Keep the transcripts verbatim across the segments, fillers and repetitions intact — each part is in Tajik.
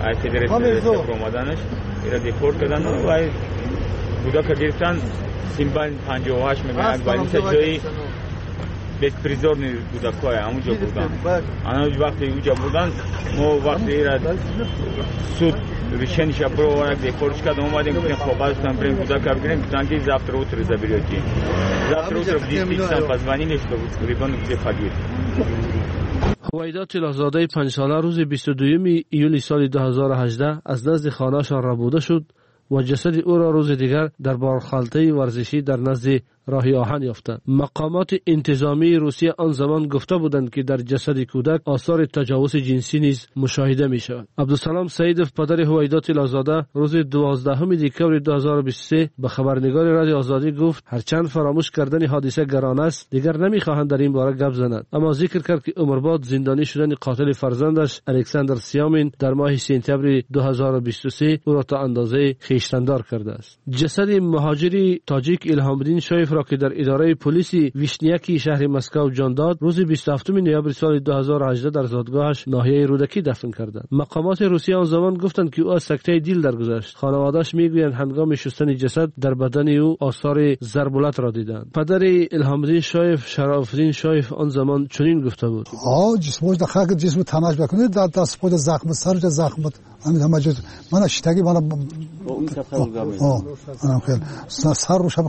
Ай федерация омаданаш ира депорт кардан ва кӯдака гирифтан. Симбал панҷоҳу ҳашт мегӯянд, больница ҷои беспризорный кӯдакҳое ҳамунҷо бурдан. Ана вақте уҷа бурдан, мо вақте ира суд решениеша бировард, депортш кард, омадем, гуфтем коғазтан бирем кӯдака бигирем, гуфтан ки завтра утро заберете. Завтра утро в десять часам позвонили, что ребенок где погиб. Ҳувайдо Тилоҳзодаи панҷсола рӯзи бисту дуюми июли соли ду ҳазору ҳаждаҳ аз назди хонаашон рабуда шуд ва ҷасади ӯро рӯзи дигар дар борхалтаи варзишӣ дар назди роҳи оҳан ёфтанд. Мақомоти интизомии Русия он замон гуфта буданд, ки дар ҷасади кӯдак осори таҷовузи ҷинсӣ низ мушоҳида мешавад. Абдусалом Саидов, падари Ҳувайдо Тилоҳзода, рӯзи дувоздаҳуми декабри ду ҳазору бисту се ба хабарнигори Радиои Озодӣ гуфт, ҳарчанд фаромӯш кардани ҳодиса гарон аст, дигар намехоҳанд дар ин бора гап занад. Аммо зикр кард, ки умрбод зиндонӣ шудани қотили фарзандаш Александр Сиёмин дар моҳи сентябри ду ҳазору бисту се ӯро то андозаи хештандор кардааст. Ҷасади муҳоҷири тоҷик Илҳомиддин Шоев ки дар идораи полиси Вишняки шаҳри Москва ҷон дод, рӯзи бисту ҳафтуми ноябри соли ду ҳазору ҳаждаҳ дар зодгоҳаш ноҳияи Рӯдакӣ дафн карданд. Мақомоти Русия он замон гуфтанд, ки ӯ аз сактаи дил даргузашт. Хонаводааш мегӯянд, ҳангоми шустани ҷасад дар бадани ӯ осори зарбулатро диданд. Падари Илҳомиддин Шоев, Шарофиддин Шоев, он замон чунин гуфта буд: ҷисмош ҷисму танаш бикунед, дар даст худ захм, сараш захм буд, ҳамин ҳама ҷо мана шитагӣ мана сар рӯш ҳам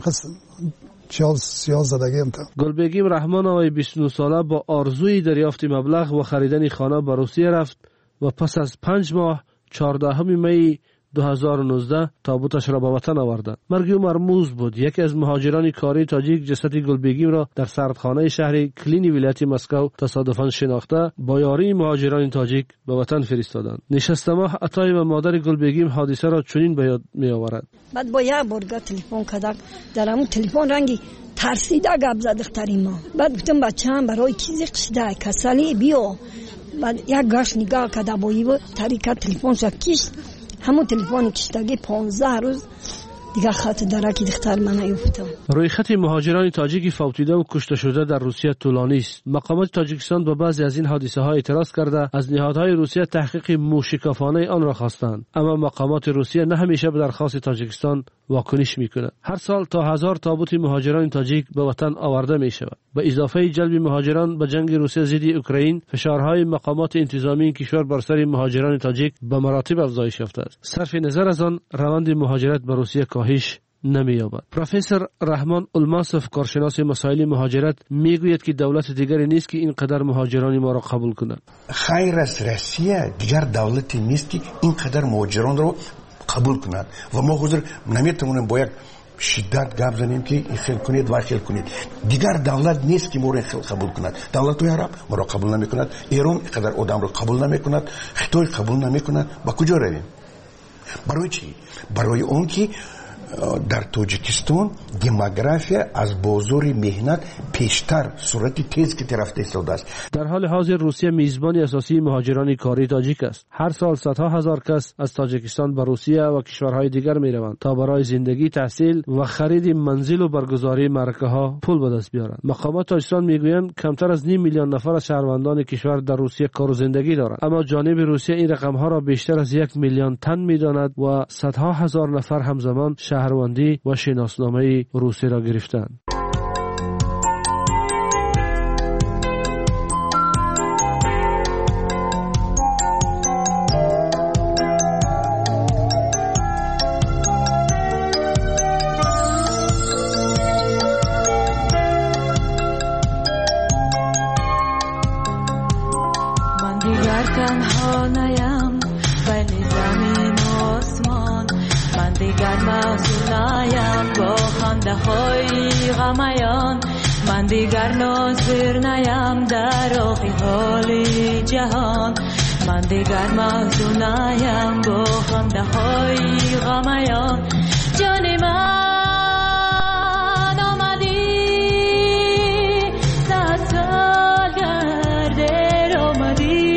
Гулбегим Раҳмоноваи бисту нӯҳ сола бо орзуи дарёфти маблағ ва харидани хона ба Русия рафт ва пас аз панҷ моҳ чордаҳуми майи ду ҳазору нуздаҳ тобуташро ба ватан оварданд. Марги ӯ мармуз буд. Яке аз муҳоҷирони кории тоҷик ҷасади Гулбегимро дар сардхонаи шаҳри Клини вилояти Москва тасодуфан шинохта, бо ёрии муҳоҷирони тоҷик ба ватан фиристоданд. Нишастамоҳ Атоева, модари Гулбегим, ҳодисаро чунин ба ёд меоварад: баъд бо як борга телефон кардак, дар ҳамун телефон ранги тарсида гап зад духтари мо. Баъд гуфтам бачаам барои чӣ зиқ шида, касалӣ биё. Баъд як гашт нигоҳ карда бо ив тарика телефонша кишт. Ҳамун телефони киштагӣ понздаҳ рӯз дигар хати дараки духтар мана ёфтам. Рӯйхати муҳоҷирони тоҷики фавтида ва кушташуда дар Русия тӯлонист. Мақомоти Тоҷикистон ба баъзе аз ин ҳодисаҳо эътироз карда, аз ниҳодҳои Русия таҳқиқи мӯшикофонаи онро хостанд. Аммо мақомоти Русия на ҳамеша ба дархости Тоҷикистон واکنش میکند. هر سال تا هزار تابوت مهاجران تاجیک به وطن آورده می شود. به اضافه جلب مهاجران به جنگ روسیه ضد اوکراین، فشارهای مقامات انتظامی این کشور بر سر مهاجران تاجیک به مراتب افزایش یافته است. صرف نظر از آن، روند مهاجرت به روسیه کاهش نمی‌یابد. پروفسور رحمان الماسف، کارشناس مسائل مهاجرت، میگوید که دولت دیگری نیست که اینقدر مهاجران ما را قبول کند. خیر از روسیه دیگر دولتی نیست که اینقدر مهاجران را قبول کند و ما حضور نمیتوانیم با یک شدت گپ زنیم که این خیل کنید و خیل کنید. دیگر دولت نیست که ما را قبول کند. دولت های عرب ما را قبول نمیکند، ایران اینقدر آدم را قبول نمیکند، خطای قبول نمیکند. با کجا رویم؟ برای چی؟ برای اون که در тоҷикистон демография аз бозори меҳнат пештар суръати тез ки рафта истодааст. Дар ҳоли ҳозир Русия мизбони асосии муҳоҷирони кории тоҷик аст. Ҳар сол садҳо ҳазор кас аз Тоҷикистон ба Русия ва кишварҳои дигар мераванд то барои зиндагӣ, таҳсил ва хариди манзил ва баргузории маъракаҳо пул ба даст биёранд. Мақомот тоҷикистон мегӯянд камтар аз ним миллион нафар аз шаҳрвандони кишвар дар Русия кору зиндагӣ доранд. Аммо ҷониби Русия ин рақамҳоро бештар аз як миллион тан медонад ва садҳо ҳазор нафар ҳамзамон шаҳрвандӣ ва шиносномаи русиро гирифтанд. من دیگر تنها نیم بین زمین و آسمان، من دیگر محزونیم با خنده های غمیان، من دیگر ناظر نیم در آخی حال جهان، من دیگر محزونیم با خنده های غمیان. جان من آمدی صد سال در دل آمدی،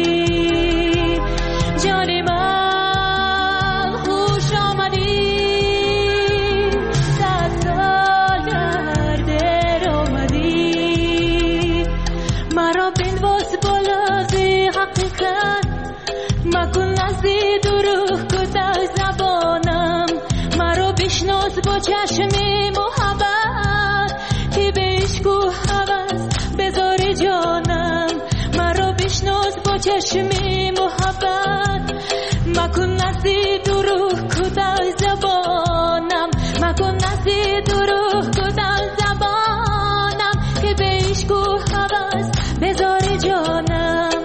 جان من مکن نزد نزی دروغ کوتاه زبانم مرا بشناس با چشم محبت که به عشق و هوس بذاری جانم مرا بشناس با چشم محبت مکن نزی دروغ کوتاه زبانم مکن نزی دروغ کوتاه زبانم که به عشق و هوس بذاری جانم.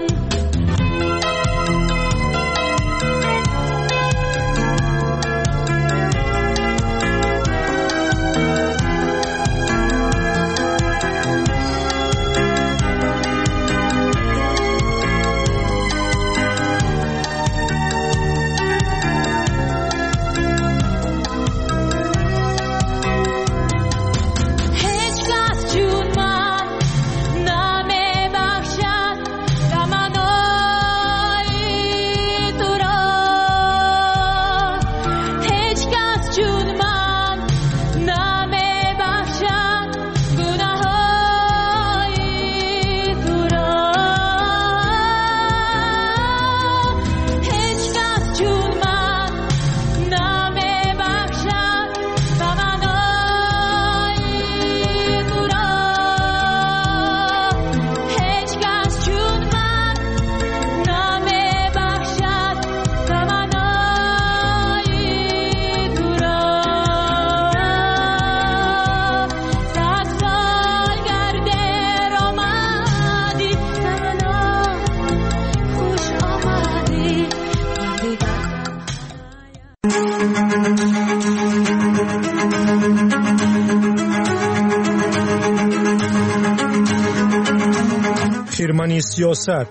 خیرمنی سیاست،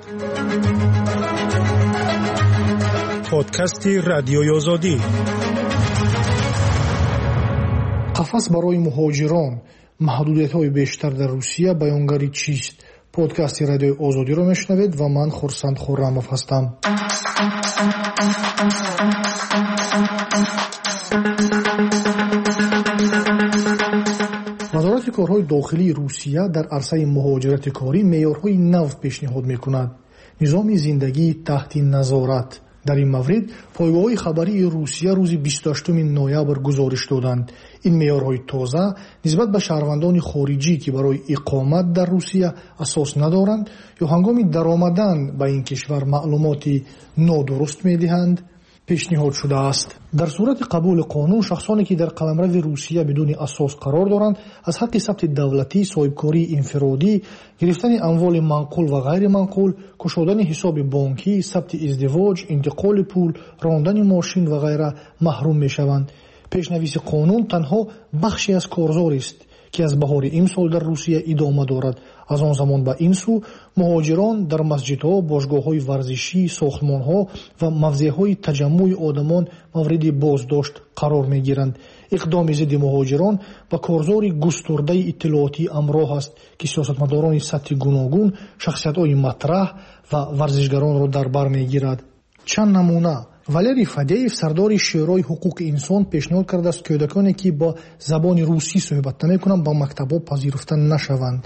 подкасти радиои Озодӣ. Қафас барои муҳоҷирон, маҳдудиятҳои бештар дар Русия баёнгари чист? Подкасти радиои Озодиро мешунавед ва ман Хурсанд Хуррамов ҳастам. Вазорати корҳои дохилии Русия дар арсаи муҳоҷирати корӣ меъёрҳои нав пешниҳод мекунад. Низоми зиндагии таҳти назорат. Дар ин маврид пойгоҳҳои хабарии Русия рӯзи бисту ҳаштуми ноябр гузориш доданд. Ин меъёрҳои тоза нисбат ба шаҳрвандони хориҷӣ, ки барои иқомат дар Русия асос надоранд ё ҳангоми даромадан ба ин кишвар маълумоти нодуруст медиҳанд, пешниҳод шудааст. Дар сурати қабули қонун, шахсоне ки дар қаламрави Русия бидуни асос қарор доранд, аз ҳаққи сабти давлатӣ, соҳибкории инфиродӣ, гирифтани амволи манқул ва ғайриманқул, кушодани ҳисоби бонкӣ, сабти издивоҷ, интиқоли пул, рондани мошин ва ғайра маҳрум мешаванд. Пешнависи қонун танҳо бахше аз корзорист, ки аз баҳори имсол дар Русия идома дорад. Аз он замон ба ин сӯ муҳоҷирон дар масҷидҳо, бошгоҳҳои варзишӣ, сохтмонҳо ва мавзеъҳои таҷаммуи одамон мавриди боздошт қарор мегиранд. Иқдоми зидди муҳоҷирон ба корзори густурдаи иттилоотӣ ҳамроҳ аст, ки сиёсатмадорони сатҳи гуногун, шахсиятҳои матраҳ ва варзишгаронро дар бар мегирад. Чанд намуна. Валерий Фадеев, сардори Шӯрои ҳуқуқи инсон, пешниҳод кардааст кӯдаконе, ки бо забони русӣ суҳбат намекунанд, ба мактабҳо пазируфта нашаванд.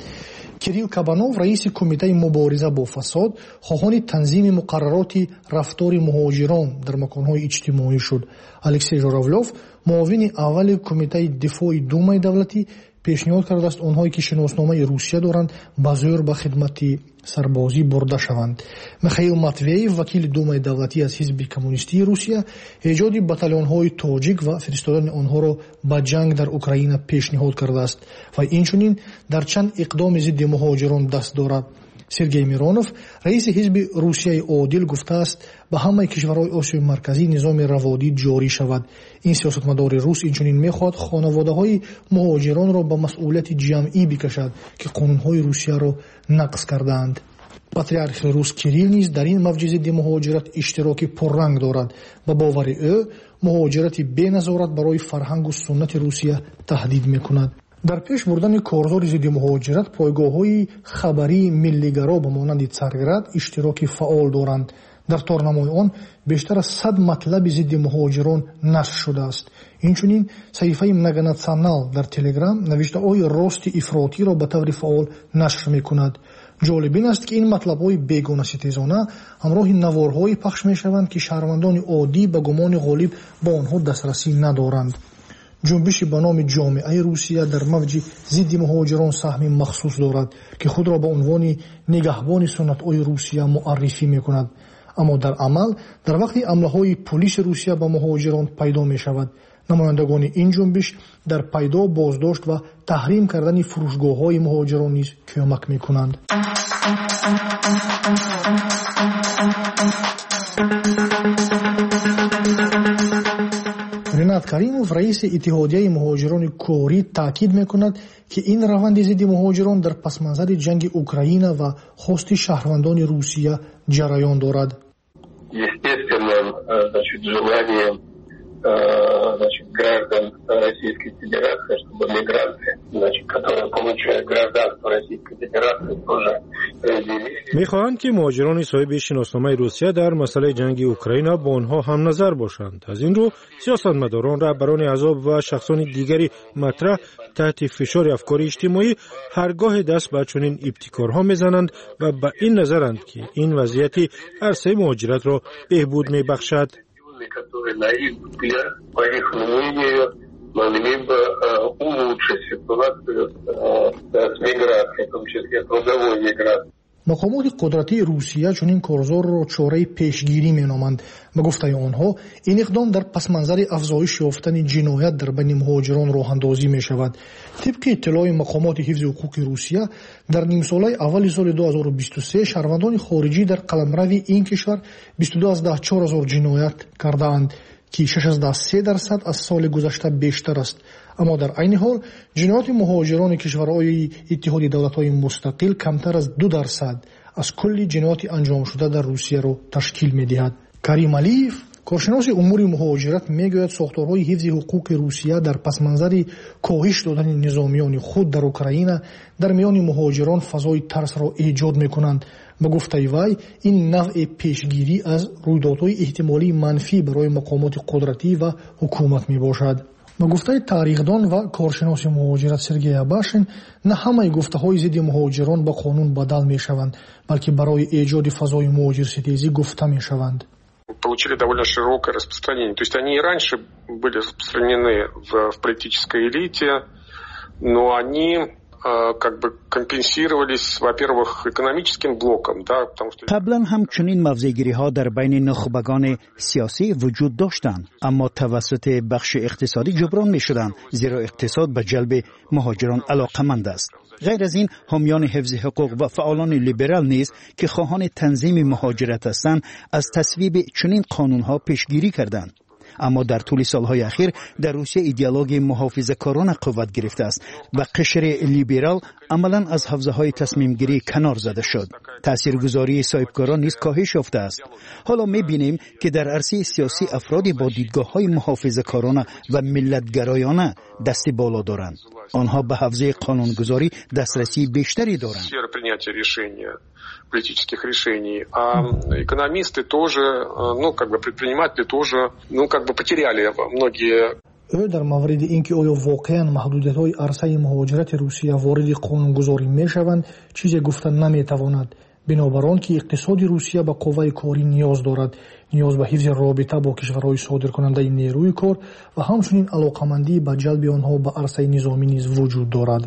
Кирилл Кабанов, раиси кумитаи мубориза бо фасод, хоҳони танзими муқаррароти рафтори муҳоҷирон дар маконҳои иҷтимоӣ шуд. Алексей Журавлёв, муовини аввали кумитаи дифои Думаи давлатӣ, пешниҳод кардааст онҳое ки шиносномаи Русия доранд, ба зӯр ба хидмати сарбозӣ бурда шаванд. Михаил Матвеев, вакили Думаи давлатӣ аз ҳизби коммунистии Русия, эҷоди батальонҳои тоҷик ва фиристодани онҳоро ба ҷанг дар Украина пешниҳод кардааст ва инчунин дар чанд иқдоми зидди муҳоҷирон даст дорад. Сергей Миронов, раиси ҳизби Русияи одил, гуфтааст ба ҳамаи кишварҳои Осиёи Марказӣ низоми раводид ҷорӣ шавад. Ин сиёсатмадори рус инчунин мехоҳад хонаводаҳои муҳоҷиронро ба масъулияти ҷамъӣ бикашад, ки қонунҳои Русияро нақз кардаанд. Патриархи рус Кирилл низ дар ин мавҷи зидди муҳоҷират иштироки пурранг дорад. Ба бовари ӯ, муҳоҷирати беназорат барои фарҳангу суннати Русия таҳдид мекунад. Дар пеш бурдани корзори зидди муҳоҷират пойгоҳҳои хабарии миллигаро ба монанди Царград иштироки фаъол доранд. Дар торнамои он бештар аз сад матлаби зидди муҳоҷирон нашр шудааст. Инчунин саҳифаи Многонационал дар Телеграм навиштаҳои рости ифротиро ба таври фаъол нашр мекунад. Ҷолиб ин аст, ки ин матлабҳои бегонаситезона ҳамроҳи наворҳое пахш мешаванд, ки шаҳрвандони оддӣ ба гумони ғолиб ба онҳо дастрасӣ надоранд. Ҷунбиши ба номи ҷомеаи Русия дар мавҷи зидди муҳоҷирон саҳми махсус дорад, ки худро ба унвони нигаҳбони суннатҳои Русия муаррифӣ мекунад. Аммо дар амал дар вақти ҳамлаҳои пулиси Русия ба муҳоҷирон пайдо мешавад. Намояндагони ин ҷунбиш дар пайдо, боздошт ва таҳрим кардани фурӯшгоҳҳои муҳоҷирон низ кӯмак мекунанд. Ринат Каримов, раиси Иттиҳодияи муҳоҷирони корӣ, таъкид мекунад, ки ин раванди зидди муҳоҷирон дар пасманзари ҷанги Украина ва хости шаҳрвандони Русия ҷараён дорад. Естественно, значит, желание, значит, граждан Российской Федерации, чтобы мигранты, значит, которые получают гражданство Российской Федерации, тоже разделили. Мехоҳанд, ки муҳоҷирони соҳиби шиносномаи Русия дар масъалаи ҷанги Украина бо онҳо ҳамназар бошанд. Аз ин рӯ сиёсатмадорон, раҳбарони аҳзоб ва шахсони дигари матраҳ таҳти фишори афкори иҷтимоӣ ҳаргоҳе даст ба чунин ибтикорҳо мезананд ва ба ин назаранд, ки ин вазъияти арсаи муҳоҷиратро беҳбуд мебахшад. Которые, на их взгляд, по их мнению, могли бы улучшить ситуацию с миграцией, в том числе трудовой миграцией. Мақомоти қудратии Русия чунин корзорро чораи пешгирӣ меноманд. Ба гуфтаи онҳо, ин иқдом дар пасманзари афзоиш ёфтани ҷиноят дар байни муҳоҷирон роҳандозӣ мешавад. Тибқи иттилои мақомоти ҳифзи ҳуқуқи Русия, дар нимсолаи аввали соли ду ҳазору бисту се шаҳрвандони хориҷӣ дар қаламрави ин кишвар бисту ду аз даҳ чор ҳазор ҷиноят кардаанд, ки шаш аз даҳ се дарсад аз соли гузашта бештар аст. Аммо дар айни ҳол ҷинояти муҳоҷирони кишварҳои Иттиҳоди давлатҳои мустақил камтар аз ду дарсад аз кулли ҷинояти анҷомшуда дар Русияро ташкил медиҳад. Карим Алиев, коршиноси умури муҳоҷират, мегӯяд сохторҳои ҳифзи ҳуқуқи Русия дар пасманзари коҳиш додани низомиёни худ дар Украина дар миёни муҳоҷирон фазои тарсро эҷод мекунанд. Ба гуфтаи вай, ин навъи пешгирӣ аз рӯйдодҳои эҳтимолии манфӣ барои мақомоти қудратӣ ва ҳукумат мебошад. Ба гуфтаи таърихдон ва коршиноси муҳоҷират Сергей Абашин, на ҳамаи гуфтаҳои зидди муҳоҷирон ба қонун бадал мешаванд, балки барои эҷоди фазои муҳоҷирситезӣ гуфта мешаванд. Получили довольно широкое распространение. То есть они и раньше были распространены в, в политической элите, но они как бы компенсировались, во-первых, экономическим блоком, да, потому что қаблан ҳам чунин мавзеъгириҳо дар байни нухбагони сиёсӣ вуҷуд доштанд, аммо тавассути бахши иқтисодӣ ҷуброн мешуданд, зеро иқтисод ба ҷалби муҳоҷирон алоқаманд аст. Ғайр аз ин, ҳомиёни ҳифзи ҳуқуқ ва фаъолони либерал низ, ки хоҳони танзими муҳоҷират ҳастанд, аз тасвиби чунин қонунҳо пешгирӣ карданд. Аммо дар тӯли солҳои ахир дар Русия идеологияи муҳофизакорона қувват гирифтааст ва қишри либерал амалан аз ҳавзаҳои тасмимгирӣ канор зада шуд. Таъсиргузории соҳибкорон низ коҳиш ёфтааст. Ҳоло мебинем, ки дар арсаи сиёсӣ афроде бо дидгоҳҳои муҳофизакорона ва миллатгароёна дасти боло доранд. Онҳо ба ҳавзаи қонунгузорӣ дастрасии бештаре доранд. Политических решений. А экономисты тоже, ну, как бы предприниматели тоже, ну, как бы потеряли многие. Ӯ дар мавриди ин ки оё воқеан маҳдудиятҳои арсаи муҳоҷирати Русия вориди қонунгузорӣ мешаванд, чизе гуфта наметавонад. Бинобар он ки иқтисоди Русия ба қувваи корӣ ниёз дорад, ниёз ба ҳифзи робита бо кишварҳои содиркунандаи нерӯи кор ва ҳамчунин алоқамандӣ ба ҷалби онҳо ба арсаи низомӣ низ вуҷуд дорад.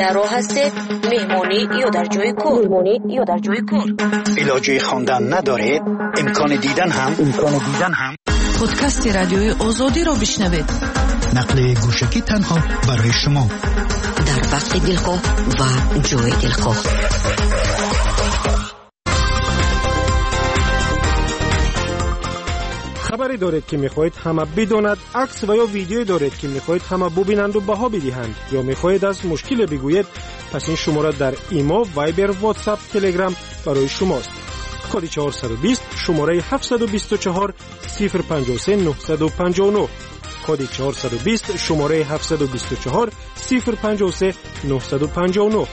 Дар роҳ ҳастед, меҳмонӣ ё дар ҷои кор, меҳмонӣ ё дар ҷои кор. Илоҷи хондан надоред, имкони дидан ҳам, имкони дидан ҳам. Подкасти радиои Озодиро бишнавед. Нақли гӯшакӣ танҳо барои шумо. Дар вақти дилхоҳ ва ҷои дилхоҳ. Хабаре доред, ки мехоҳед ҳама бидонад, акс ва ё видеое доред, ки мехоҳед ҳама бубинанду баҳо бидиҳанд, ё мехоҳед аз мушкиле бигӯед, пас ин шумора дар Имо, Вайбер, Ватсап, Телеграм барои шумост. Коди чорсаду бист, шумораи ҳафтсаду бисту чор, сифр панҷоҳу се, нӯҳсаду панҷоҳу нӯҳ. Коди чорсаду бист, шумораи ҳафтсаду бисту чор, сифр панҷоҳу се, нӯҳсаду панҷоҳу нӯҳ.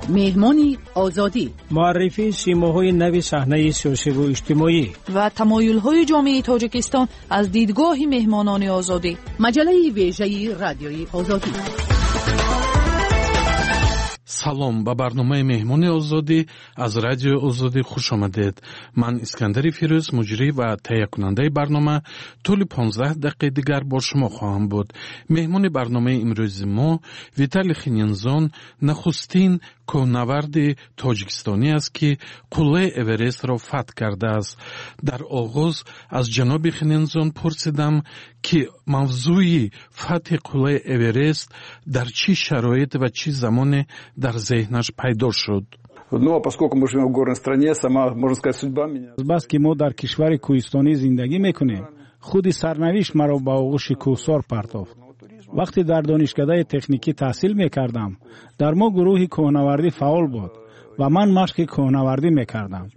Меҳмони Озодӣ. Муаррифии симоҳои нави саҳнаи сиёсиву иҷтимоӣ ва тамоюлҳои ҷомеаи Тоҷикистон аз дидгоҳи меҳмонони Озодӣ. Маҷаллаи вежаи Радиои Озодӣ. Салом, ба барномаи Меҳмони Озодӣ аз Радиои Озодӣ хуш омадед. Ман Искандари Фирӯз, муҷрӣ ва таҳиякунандаи барнома, тӯли понздаҳ дақиқаи дигар бо шумо хоҳам буд. Меҳмони барномаи имрӯзи мо Виталий Хининзон, нахустин кӯҳнаварди тоҷикистонӣ аст, ки қуллаи Эверестро фатҳ кардааст. Дар оғоз аз ҷаноби Хининзон пурсидам, ки мавзӯи фатҳи қуллаи Эверест дар чӣ шароит ва чӣ замоне дар зеҳнаш пайдо шуд. Ну, а поскольку мы живем в горной стране, сама, можно сказать, судьба меня. Азбаски мо дар кишвари кӯҳистонӣ зиндагӣ мекунем, худи сарнавишт маро ба оғӯши кӯҳсор партофт. Вақте дар донишкадаи техникӣ таҳсил мекардам, дар мо гурӯҳи кӯҳнавардӣ фаъол буд ва ман машқи кӯҳнавардӣ мекардам.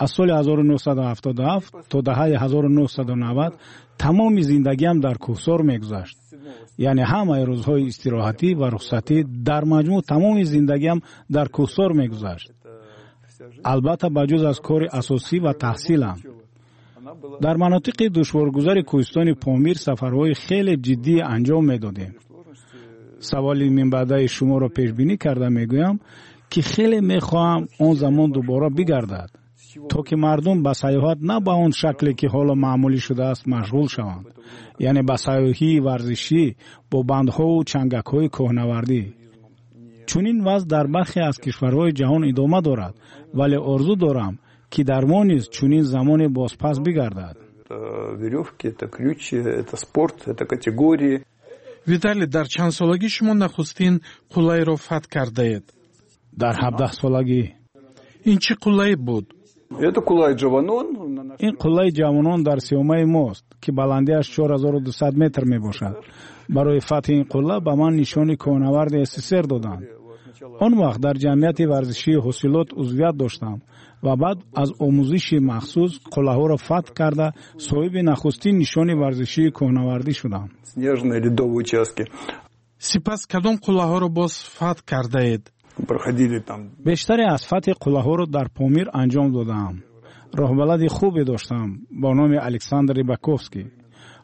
Аз соли ҳазору нӯҳсаду ҳафтоду ҳафт то даҳаи ҳазору нӯҳсаду навад тамоми зиндагиам дар кӯҳсор мегузашт. Яъне ҳамаи рӯзҳои истироҳатӣ ва рухсатӣ, дар маҷмӯъ тамоми зиндагиам дар кӯҳсор мегузашт. Албатта, ба ҷуз аз кори асосӣ ва таҳсилам. Дар манотиқи душворгузари кӯҳистони Помир сафарҳои хеле ҷиддӣ анҷом медодем. Саволи минбаъдаи шуморо пешбинӣ карда мегӯям, ки хеле мехоҳам он замон дубора бигардад, то ки мардум ба сайёҳат на ба он шакле, ки ҳоло маъмулӣ шудааст, машғул шаванд, яъне ба сайёҳии варзишӣ бо бандҳову чангакҳои кӯҳнавардӣ. Чунин вазъ дар бархе аз кишварҳои ҷаҳон идома дорад, вале орзу дорам, ки дар мо низ чунин замоне бозпас бигардад. Верёвки, это ключи, это спорт, это категории. Виталий, дар чанд солагӣ шумо нахустин қуллаеро фатҳ кардаед? Дар ҳабдаҳсолагӣ. Ин чӣ қуллае буд? Это Кулай Джаванон. Ин қуллаи Ҷавонон дар сиёмаи мост, ки баландиаш чор ҳазору дусад метр мебошад. Барои фатҳи ин қулла ба ман нишони кӯҳнаварди СССР доданд. Он вақт дар ҷамъияти варзишии Ҳосилот узвият доштам ва баъд аз омӯзиши махсус қуллаҳоро фатҳ карда, соҳиби нахустин нишони варзишии кӯҳнавардӣ шудам. Снежные ледовые участки. Сипас кадом қуллаҳоро боз фатҳ кардаед? Проходили там. Бештаре аз фатҳи қуллаҳоро дар Помир анҷом додаам. Роҳбалади хубе доштам бо номи Александр Рибаковский.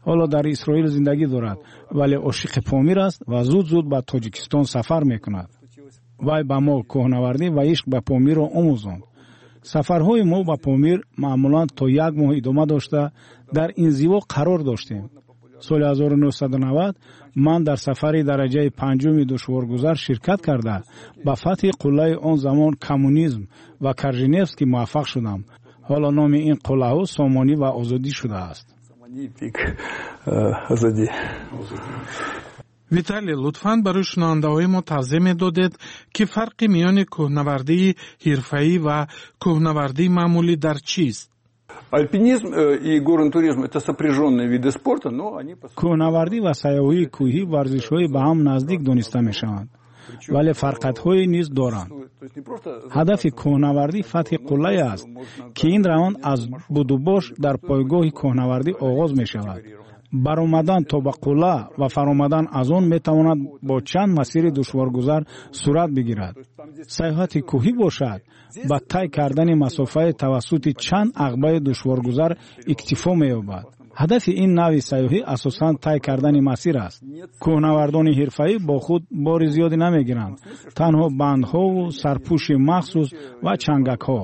Ҳоло дар Исроил зиндагӣ дорад, вале ошиқи Помир аст ва зуд-зуд ба Тоҷикистон сафар мекунад. Вай ба мо кӯҳнавардӣ ва ишқ ба Помирро омӯзонд. Сафарҳои мо ба Помир маъмулан то як моҳ идома дошта, дар инзиво қарор доштем. Соли ҳазору нӯҳсаду навад ман дар сафари дараҷаи панҷуми душворгузар ширкат карда, ба фатҳи қуллаи он замон Коммунизм ва Каржиневский муваффақ шудам. Ҳоло номи ин қуллаҳо Сомонӣ ва Озодӣ шудааст. Виталий, лутфан барои шунавандаҳои мо тавзеҳ медодед, ки фарқи миёни кӯҳнавардии ҳирфаӣ ва кӯҳнавардии маъмулӣ дар чист? Альпинизм и горный туризм это сопряженные виды спорта, но они кӯҳнавардӣ ва сайёҳии кӯҳӣ варзишҳои ба ҳам наздик дониста мешаванд, вале фарқатҳое низ доранд. Ҳадафи кӯҳнавардӣ фатҳи қуллае аст, ки ин раванд аз будубош дар пойгоҳи кӯҳнавардӣ оғоз мешавад. Баромадан то ба қулла ва фаромадан аз он метавонад бо чанд масири душворгузар сурат бигирад. Сайёҳати кӯҳӣ бошад, ба тай кардани масофаи тавассути чанд ағбаи душворгузар иктифо меёбад. Ҳадафи ин навъи сайёҳӣ асосан тай кардани масир аст. Кӯҳнавардони ҳирфаӣ бо худ бори зиёде намегиранд, танҳо бандҳову сарпӯши махсус ва чангакҳо.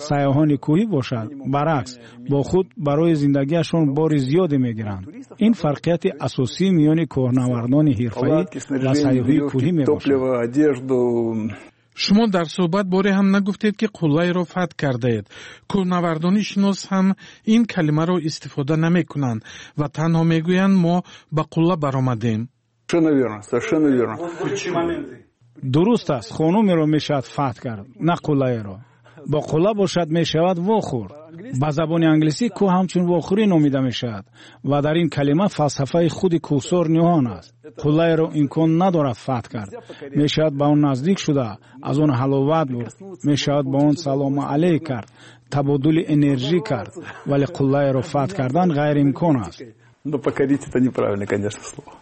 Сайёҳони кӯҳӣ бошад, баръакс, бо худ барои зиндагиашон бори зиёде мегиранд. Ин фарқияти асосии миёни кӯҳнавардони ҳирфаӣ ва сайёҳии кӯҳӣ мебошад. Шумо дар суҳбат боре ҳам нагуфтед, ки қуллаеро фатҳ кардаед. Кӯҳнавардони шинос ҳам ин калимаро истифода намекунанд ва танҳо мегӯянд мо ба қулла баромадем. Совершенно верно, совершенно верно. Дуруст аст, хонумеро мешавад фатҳ кард, на қуллаеро. Бо қулла бошад мешавад вохӯрд. Ба забони англисӣ кӯҳ ҳамчун вохӯрӣ номида мешавад ва дар ин калима фалсафаи худи кӯҳсор ниҳон аст. Қуллаеро имкон надорад фатҳ кард. Мешавад ба он наздик шуда, аз он ҳаловат бурд, мешавад ба он салому алейк кард, табодули энержӣ кард, вале қуллаеро фатҳ кардан ғайриимкон аст. Но покорить это неправильно, конечно, слово.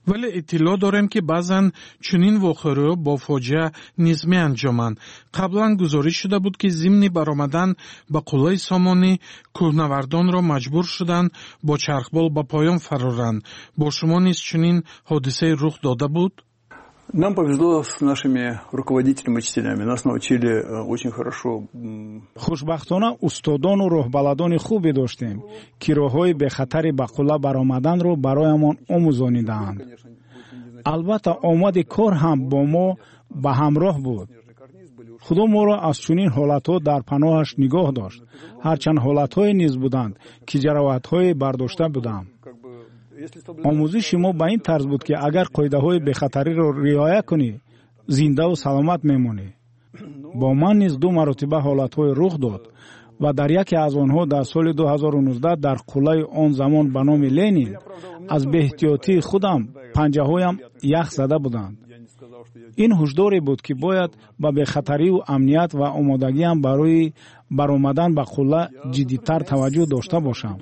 Вале иттилоъ дорем, ки баъзан чунин вохӯриҳо бо фоҷиа низ меанҷоманд. Қаблан гузориш шуда буд, ки зимни баромадан ба қуллаи Сомонӣ кӯҳнавардонро маҷбур шуданд бо чархбол ба поён фароранд. Бо шумо низ чунин ҳодисае рух дода буд? Нам повезло с нашими руководителями, учителями. Нас научили э, очень хорошо. Хушбахтона, устодону роҳбаладони хубе доштем, ки роҳҳои бехатари ба қулла баромаданро бароямон омӯзонидаанд. Албатта, омади кор ҳам бо мо ба ҳамроҳ буд. Худо моро аз чунин ҳолатҳо дар паноҳаш нигоҳ дошт. Ҳарчанд ҳолатҳое низ буданд, ки ҷароҳатҳое бардошта будам. Омӯзиши мо ба ин тарз буд, ки агар қоидаҳои бехатариро риоя кунӣ, зиндаву саломат мемонӣ. Бо ман низ ду маротиба ҳолатҳое рух дод ва дар яке аз онҳо дар соли ду ҳазору нуздаҳ дар қуллаи он замон ба номи Ленин аз беэҳтиётии худам панҷаҳоям ях зада буданд. Ин ҳушдоре буд, ки бояд ба бехатариву амният ва омодагиам барои баромадан ба қулла ҷиддитар таваҷҷӯҳ дошта бошам.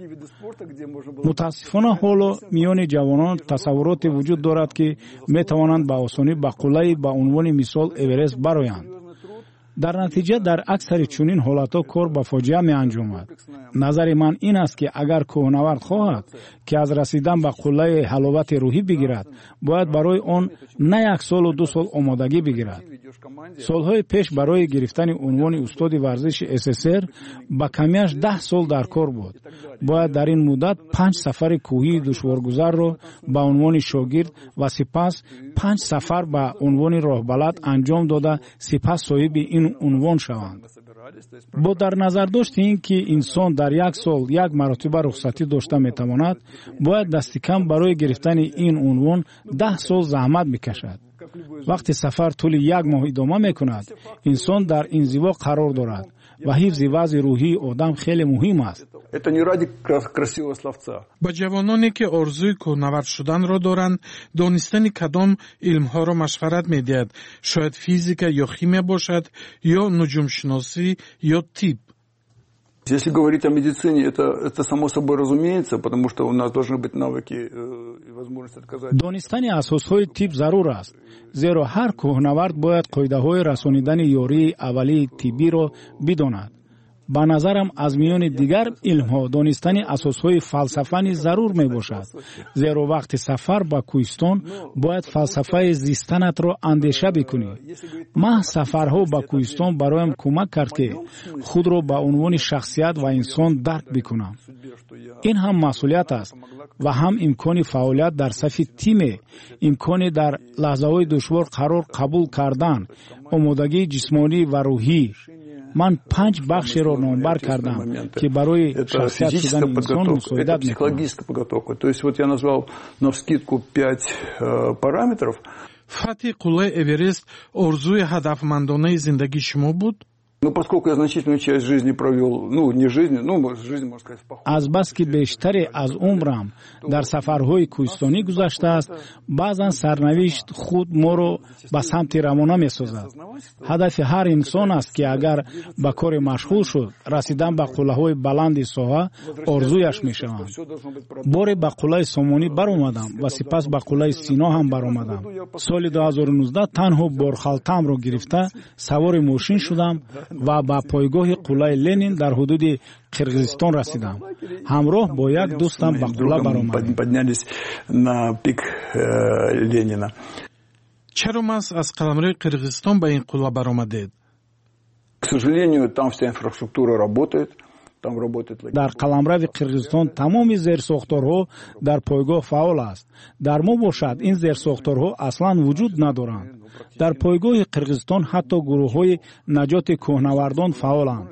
Мутаассифона, ҳоло миёни ҷавонон тасаввуроте вуҷуд дорад, ки метавонанд ба осонӣ ба қуллаи, ба унвони мисол, Эверест бароянд. Дар натиҷа дар аксари чунин ҳолатҳо кор ба фоҷиа меанҷомад. Назари ман ин аст, ки агар кӯҳнавард хоҳад, ки аз расидан ба қуллаи ҳаловати рӯҳӣ бигирад, бояд барои он на як солу ду сол омодагӣ бигирад. Солҳои пеш барои гирифтани унвони устоди варзиши С С С Р ба камиаш даҳ сол дар кор буд. Бояд дар ин муддат панҷ сафари кӯҳии душворгузарро ба унвони шогирд ва сипас панҷ сафар ба унвони роҳбалад анҷом дода, сипас соҳиби ин унвон шаванд. Бо дар назардошти ин ки инсон дар як сол як маротиба рухсатӣ дошта метавонад, бояд дастикам барои гирифтани ин унвон даҳ сол заҳмат бикашад. Вақти сафар тӯли як моҳ идома мекунад, инсон дар инзиво қарор дорад ва ҳифзи вазъи рӯҳии одам хеле муҳим аст. Это не ради красивого словца. Ба ҷавононе, ки орзуи кӯҳнавард шуданро доранд, донистани кадом илмҳоро машварат медиҳад? Шояд физика ё химия бошад, ё нуҷумшиносӣ, ё тиб? Если говорить о медицине, это, это само собой разумеется, потому что у нас должны быть навыки э, и возможность отказать. Донистани асосҳои тиб зарур аст, зеро ҳар кӯҳнавард бояд қоидаҳои расонидани ёрии аввалии тиббиро бидонад. Ба назарам, аз миёни дигар илмҳо донистани асосҳои фалсафа низ зарур мебошад, зеро вақти сафар ба кӯҳистон бояд фалсафаи зистанатро андеша бикунӣ. Маҳз сафарҳо ба кӯҳистон бароям кӯмак кард, ки худро ба унвони шахсият ва инсон дарк бикунам. Ин ҳам масъулият аст ва ҳам имкони фаъолият дар сафи тиме, имкони дар лаҳзаҳои душвор қарор қабул кардан, омодагии ҷисмонӣ ва рӯҳӣ. Ман панҷ бахшеро номбар кардам, ки барои шахсият шудани инсон мусоидат мекунанд. То есть вот я назвал навскидку пять э, параметров. Фатҳи қуллаи Эверест орзуи ҳадафмандонаи зиндагии шумо буд? Ну, поскольку я значительную часть жизни провел, ну, не жизни, ну, жизнь, можно сказать, в походе. Азбаски бештаре аз умрам дар сафарҳои кӯҳистонӣ гузаштааст, баъзан сарнавишт худ моро ба самти равона месозад. Ҳадафи ҳар инсон аст, ки агар ба коре машғул шуд, расидан ба қуллаҳои баланди соҳа орзуяш мешаванд. Боре ба қуллаи Сомонӣ баромадам ва сипас ба қуллаи Сино ҳам баромадам. Соли ду ҳазору нуздаҳ танҳо борхалтамро гирифта савори мошин шудам ва ба пойгоҳи қуллаи Ленин дар ҳудуди Қирғизистон расидам. Ҳамроҳ бо як дӯстам ба қулла баромадем. Поднялись на пик э, Ленина. Чаро маҳз аз қаламрави Қирғизистон ба ин қулла баромадед? К сожалению, там вся инфраструктура работает. Там работает Дар қаламрави Қирғизистон тамоми зерсохторҳо дар пойгоҳ фаъол аст. Дар мо бошад, ин зерсохторҳо аслан вуҷуд надоранд. Дар пойгоҳи Қирғизистон ҳатто гурӯҳҳои наҷоти кӯҳнавардон фаъоланд,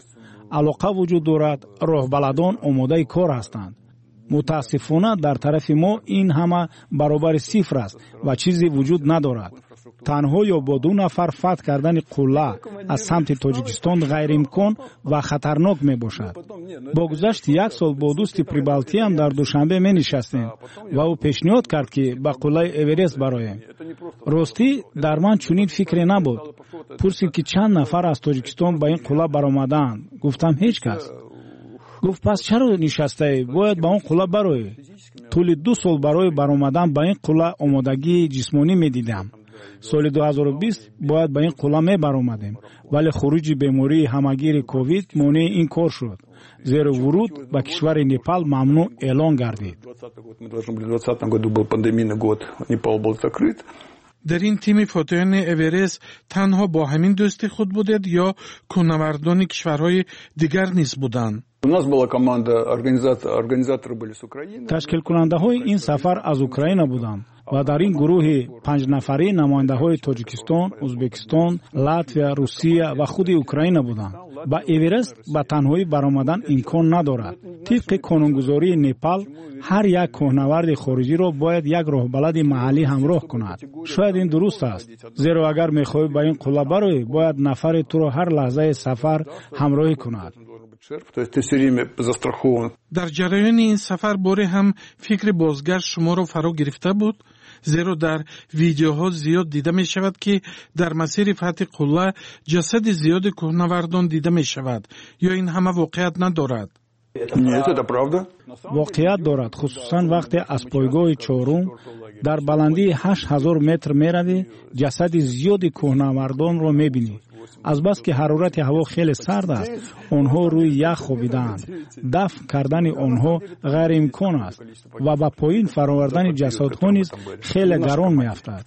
алоқа вуҷуд дорад, роҳбаладон омодаи кор ҳастанд. Мутаассифона, дар тарафи мо ин ҳама баробари сифр аст ва чизе вуҷуд надорад. Танҳо ё бо ду нафар фатҳ кардани қулла аз самти Тоҷикистон ғайриимкон ва хатарнок мебошад. Бо гузашти як сол бо дӯсти прибалтиям дар Душанбе менишастем ва ӯ пешниҳод кард, ки ба қуллаи Эверест бароем. Ростӣ, дар ман чунин фикре набуд. Пурсид, ки чанд нафар аз Тоҷикистон ба ин қулла баромадаанд. Гуфтам, ҳеҷ кас. Гуфт: «Пас чаро нишастаӣ? Бояд ба он қулла бароӣ». Тӯли ду сол барои баромадан ба ин қулла омодагии ҷисмонӣ медидам. Соли ду ҳазору бист бояд ба ин қулла мебаромадем, вале хуруҷи бемории ҳамагири ковид монеи ин кор шуд, зеро вуруд ба кишвари Непал мамнӯъ эълон гардид. Году был пандемийный год, Непал был закрыт. Дар ин тими фотеҳони Эверест танҳо бо ҳамин дӯсти худ будед ё кӯҳнавардони кишварҳои дигар низ буданд? У нас была команда, организаторы были с Украины. Ташкилкунандаҳои ин сафар аз Украина буданд ва дар ин гурӯҳи панҷнафарӣ намояндаҳои Тоҷикистон, Ӯзбекистон, Латвия, Русия ва худи Украина буданд. Ба Эверест ба танҳоӣ баромадан имкон надорад. Тибқи қонунгузории Непал, ҳар як кӯҳнаварди хориҷиро бояд як роҳбалади маҳаллӣ ҳамроҳ кунад. Шояд ин дуруст аст, зеро агар мехоҳӣ ба ин қулла бароӣ, бояд нафаре туро ҳар лаҳзаи сафар ҳамроҳӣ кунад. Дар ҷараёни ин сафар боре ҳам фикри бозгашт шуморо фаро гирифта буд? Зеро дар видеоҳо зиёд дида мешавад, ки дар масири фатҳи қулла ҷасади зиёди кӯҳнавардон дида мешавад. Ё ин ҳама воқеият надорад? Нет, это правда. Воқеият дорад, хусусан вақте аз пойгоҳи чорум дар баландии ҳашт ҳазор метр меравӣ, ҷасади зиёди кӯҳнавардонро мебинӣ. Азбаски ҳарорати ҳаво хеле сард аст, онҳо рӯи ях хобидаанд. Дафн кардани онҳо ғайриимкон аст ва ба поин фаровардани ҷасадҳо низ хеле гарон меафтад.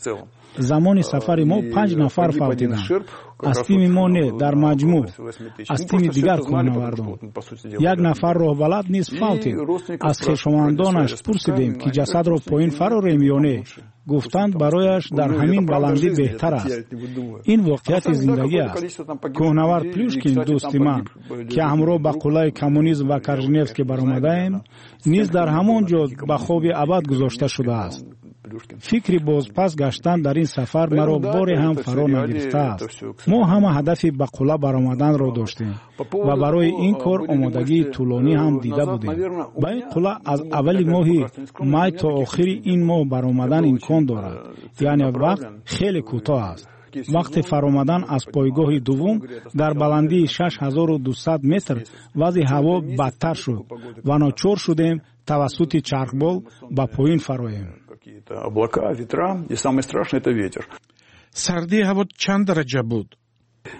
Замони сафари мо панҷ нафар фавтиданд. Аз тими мо не, дар маҷмӯъ аз тими дигар кӯҳнавардон. Як нафар роҳбалад низ фавтид. Аз хешовандонаш пурсидем, ки ҷасадро поин фарорем ё не. Гуфтанд, барояш дар ҳамин баландӣ беҳтар аст. Ин воқеияти зиндагӣ аст. Кӯҳнавард Плюшкин, дӯсти ман, ки ҳамроҳ ба қуллаи Коммунизм ва Корженевский баромадаем, низ дар ҳамон ҷо ба хоби абад гузошта шудааст. Фикри бозпас гаштан дар ин сафар маро боре ҳам фаро нагирифтааст. Мо ҳама ҳадафи ба қулла баромаданро доштем ва барои ин кор омодагии тӯлонӣ ҳам дида будем. Ба ин қулла аз аввали моҳи май то охири ин моҳ баромадан имкон дорад, яъне вақт хеле кӯтоҳ аст. Вақти фаромадан аз пойгоҳи дуввум дар баландии шаш ҳазору дусад метр вазъи ҳаво бадтар шуд ва ночор шудем тавассути чархбол ба поин фароем. Какие-то облака, ветра, и самое страшное – это ветер. Сардии ҳаво чанд дараҷа буд?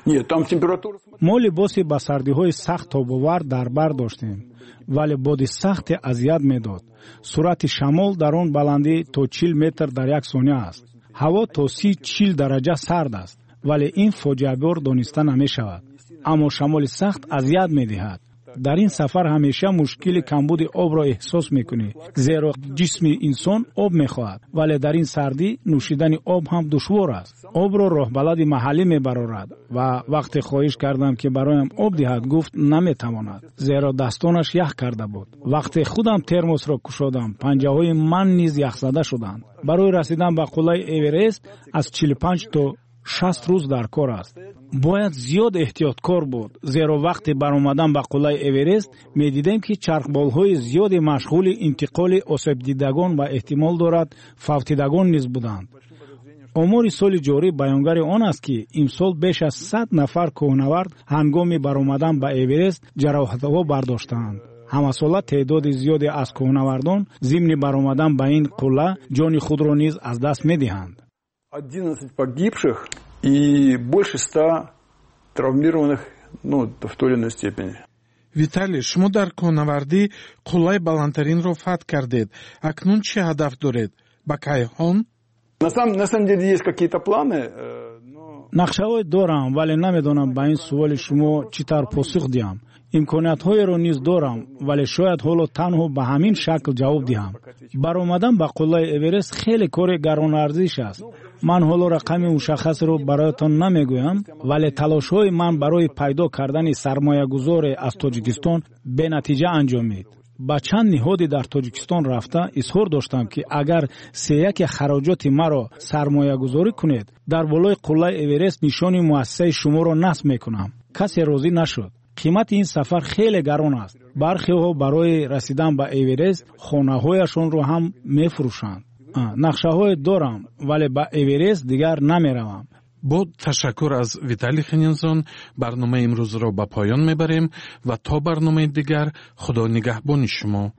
Нет, там температура. Мо либоси ба сардиҳои сахт тобовар дар бар доштем, вале боди сахте азият медод. Суръати шамол дар он баландӣ то чил метр дар як сония аст. Ҳаво то си чил дараҷа сард аст, вале ин фоҷиабор дониста намешавад, аммо шамоли сахт азият медиҳад. Дар ин сафар ҳамеша мушкили камбуди обро эҳсос мекунӣ, зеро ҷисми инсон об мехоҳад, вале дар ин сардӣ нӯшидани об ҳам душвор аст. Обро роҳбалади маҳаллӣ мебарорад ва вақте хоҳиш кардам, ки бароям об диҳад, гуфт, наметавонад, зеро дастонаш ях карда буд. Вақте худам термосро кушодам, панҷаҳои ман низ яхзада шуданд. Барои расидан ба қуллаи Эверест аз чилу панҷ то шаст рӯз дар кор аст. Бояд зиёд эҳтиёткор буд, зеро вақти баромадан ба қуллаи Эверест медидем, ки чархболҳои зиёде машғули интиқоли осебдидагон ва эҳтимол дорад фавтидагон низ буданд. Омори соли ҷорӣ баёнгари он аст, ки имсол беш аз сад нафар кӯҳнавард ҳангоми баромадан ба Эверест ҷароҳатҳо бардоштаанд. Ҳамасола теъдоди зиёде аз кӯҳнавардон зимни баромадан ба ин қулла ҷони худро низ аз даст медиҳанд. одиннадцать погибших и больше ста травмированных, ну, в той или иной степени. Виталий, шумо дар кӯҳнавардӣ қуллаи баландтаринро фатҳ кардед. Акнун чӣ ҳадаф доред? Ба кайҳон? На самом, на самом деле есть какие-то планы, э, но Нақшаҳое дорам, вале намедонам ба ин суоли шумо чӣ тавр посух диҳам. Имкониятҳоеро низ дорам, вале шояд ҳоло танҳо ба ҳамин шакл ҷавоб диҳам. Баромадан ба қуллаи Эверест хеле кори гаронарзиш аст. Ман ҳоло рақами мушаххасеро бароятон намегӯям, вале талошҳои ман барои пайдо кардани сармоягузоре аз Тоҷикистон бенатиҷа анҷомид. Ба чанд ниҳоде дар Тоҷикистон рафта изҳор доштам, ки агар сеяки хароҷоти маро сармоягузорӣ кунед, дар болои қуллаи Эверест нишони муассисаи шуморо насб мекунам. Касе розӣ нашуд. Қимати ин сафар хеле гарон аст. Бархеҳо барои расидан ба Эверест хонаҳояшонро ҳам мефурӯшанд. Нақшаҳое дорам, вале ба Эверест дигар намеравам. Бо ташаккур аз Виталий Хенинзон барномаи имрӯзро ба поён мебарем ва то барномаи дигар Худо нигаҳбони шумо.